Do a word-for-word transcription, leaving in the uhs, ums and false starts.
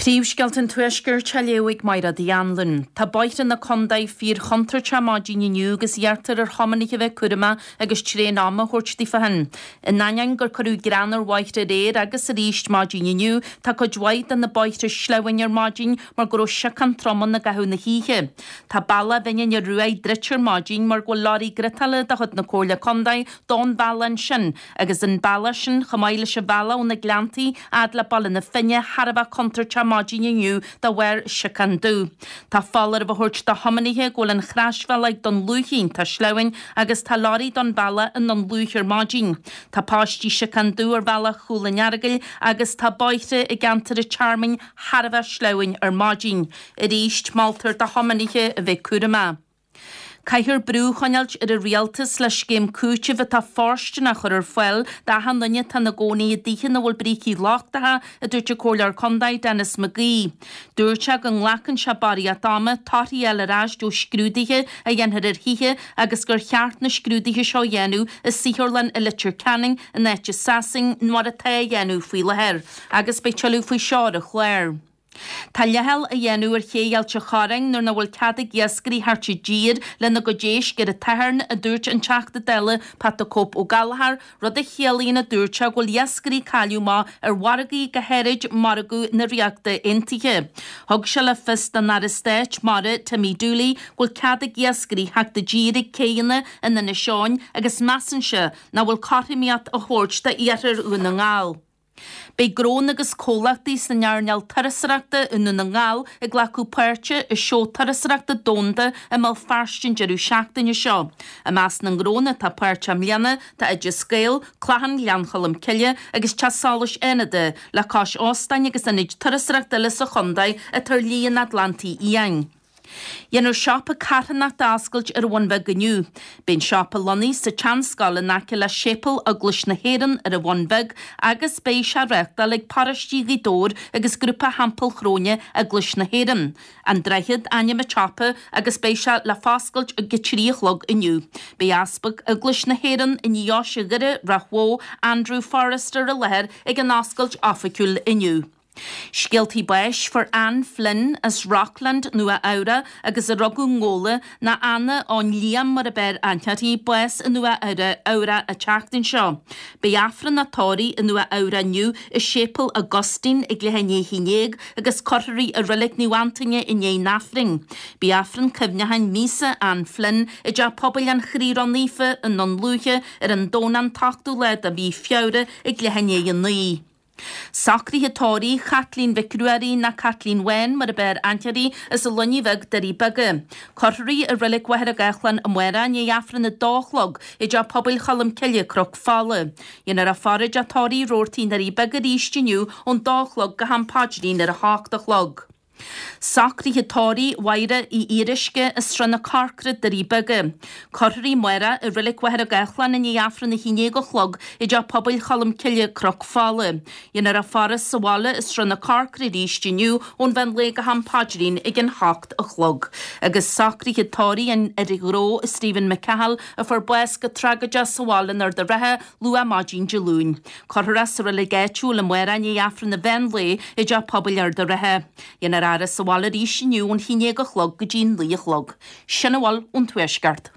Príomhscéalta an Tuaiscirt á léamh ag Máire Uí Anluain. Tá bóithre na contae fíorchontúirteach maidin inniu agus iarrtar ar thiománaithe bheith cúramach agus tréan ama a thabhairt daofa féin. In ainneoin gur cuireadh grean ar bhóithre aréir agus arís maidin inniu, tá cuid mhaith de na bóithre sleamhain ar maidin mar go raibh siocán trom ann i gcaitheamh na hoíche. Tá bealach Bhinn an Ioruaidh druidte ar maidin mar go bhfuil leoraí griotála de chuid na Comhairle Contae don bhealach ansin agus an bealach sin chomh maith leis an bhealach ó na Gleanntaí fhad le Baile na Finne thar a bheith contúirteach maidin inniu de bharr siocán dubh. Tá foláireamh á thabhairt do thiománaithe go bhfuil an chrasbhealach ag Dún Lúiche iontach sleamhain agus tá leoraí don bhealach i nDún Lúiche ar maidin. Tá paistí siocán dubh ar bhealach Chúil an Earagail agus tá bóithre i gceantar an Tearmainn thar a bheith sleamhain ar maidin. Arís moltar do thiománaithe a bheith cúramach. Caithfear brú a choinneáilt ar an rialtas le scéim cúitimh atá fóirsteanach a chur ar fáil d'achan duine atá ina gcónaí i dtithe ina bhfuil brící lochtacha, a dúirt an Comhairleoir Contae Denis McGee. Dúirt sé go nglacann sé barraíocht ama torthaí a fháil ar ais ó scrúduithe a dhéanfar ar thithe agus gur cheart na scrúduithe seo a dhéanamh i saotharlann i Leitir Ceanainn in áit i Sasain mar atá á dhéanamh faoi láthair agus beidh tuilleadh faoi seo ar an chlár. Tá leithcheal á dhéanamh ar ché Ailt an Chorráin nuair nach bhfuil cead ag iascairí theacht i dtír lena gcuid éisc ar an tSatharn, a dúirt an Teachta Dála Pat the Cope Ó Gallchóir, rud a chiallaíonn a dúirt sé go bhfuil iascairí ag cailleadh amach ar mhargaí go háirid margadh na Ríochta Aontaithe. Thug sé le fios don Aire Stáit Mara Timmy Dooley go bhfuil cead ag iascairí theacht i dtír ag céanna in Inis Eoghain agus measann sé nach bhfuil cothromaíocht á thabhairt d'iarthar Dhún na nGall. Beidh gnónna agus comhlachtaí san earnáil turasóireachta i nDún na nGall ag glacadh páirte i seó turasóireachta domhanda i mBéal Feirste an deireadh seachtaine seo. I measc na ngnónna atá páirteach i mbliana tá Oideas Gael, Clachan Ghleann Cholm Cille agus Teach Solais Fhánada le cois óstáin agus ionaid turasóireachta eile sa chontae atá ar Shlí an Atlantaigh Fhiáin. Dhéanfar siopa carthanachta a oscailt ar an Bhun Bheag inniu. Beidh an siopa lonnaithe sa tseanscoil in aice le Séipéal Eaglais na hÉireann ar an Bhun Bheag agus beidh sé á reáchtáil ag Paróiste Ghaoth Dobhair agus Grúpa Theampall Chróine Eaglais na hÉireann. An Droichead ainm an tsiopa agus beidh sé le foscailt ag a trí a chlog inniu. Beidh Easpag Eaglais na hÉireann i nDeoise Dhoire Ráth Bhoth, Andrew Forrester i láthair ag an oscailt oifigiúil inniu. Scéaltaí báis fuair Anne Flynn as Rockland Nua Eabhrac agus a rugadh i nGabhla ná Anna ón Liam mar ab fhearr aithne uirthi, bás i Nua Eabhrac an tseachtain seo. Beidh Aifreann a tórraimh i Nua Eabhrac inniu i Séipéal Augustine ag leath i ndiaidh a haon déag agus cuirfear í i Reilig Naomh Antaine i ndiaidh an Aifrinn. Beidh Aifreann cuimhneacháin míosa Anne Flynn i dTeach Pobail an Chroí Ró-Naofa i nDún Lúiche ar an Domhnach an t-ochtú lá de mhí Feabhra ag leath i ndiaidh a naoi. Socruithe tórraimh Chaitlín Mhic Ruairí ná Caitlín Bhán mar ab fhearr aithne uirthi as an Luinnigh Bheag Doirí Beaga. Cuirfear í i Reilig Mhachaire Gathlán amárach i ndiaidh Aifreann a dó a chlog i dTeach Pobail Cholm Cille, Cnoc Fola. Dhéanfar a faire i dTeach Tórraimh Roarty i nDoirí Beaga arís inniu ón dó a chlog go ham paidrín ar a hocht a chlog. Socruithe tórraimh Mháire Uí Fhíoruisce as Srath na Corcra, Doirí Beaga. Cuirfear í amárach i Reilig Mhachaire Gathlán i ndiaidh Aifreann a haon déag a chlog i dTeach Pobail Cholm Cille, Cnoc Fola. Dhéanfar a faire sa bhaile i Srath na Corcra arís inniu ón mheán lae go ham paidrín ag an hocht a chlog. Agus socruithe tórraimh an fhir ghnó Stephen McCahill a fuair bás go tragóideach sa bhaile in Ard an Rátha luath maidin Dé Luain. Cuirfear é sa reilig áitiúil amárach i ndiaidh Aifreann an mheán lae i dTeach Pobail Ard an Rátha. Dhéanfar a fhaire sa bhaile arís inniu ón haon déag a chlog go dtí naoi a chlog. Sin a bhfuil ón Tuaisceart.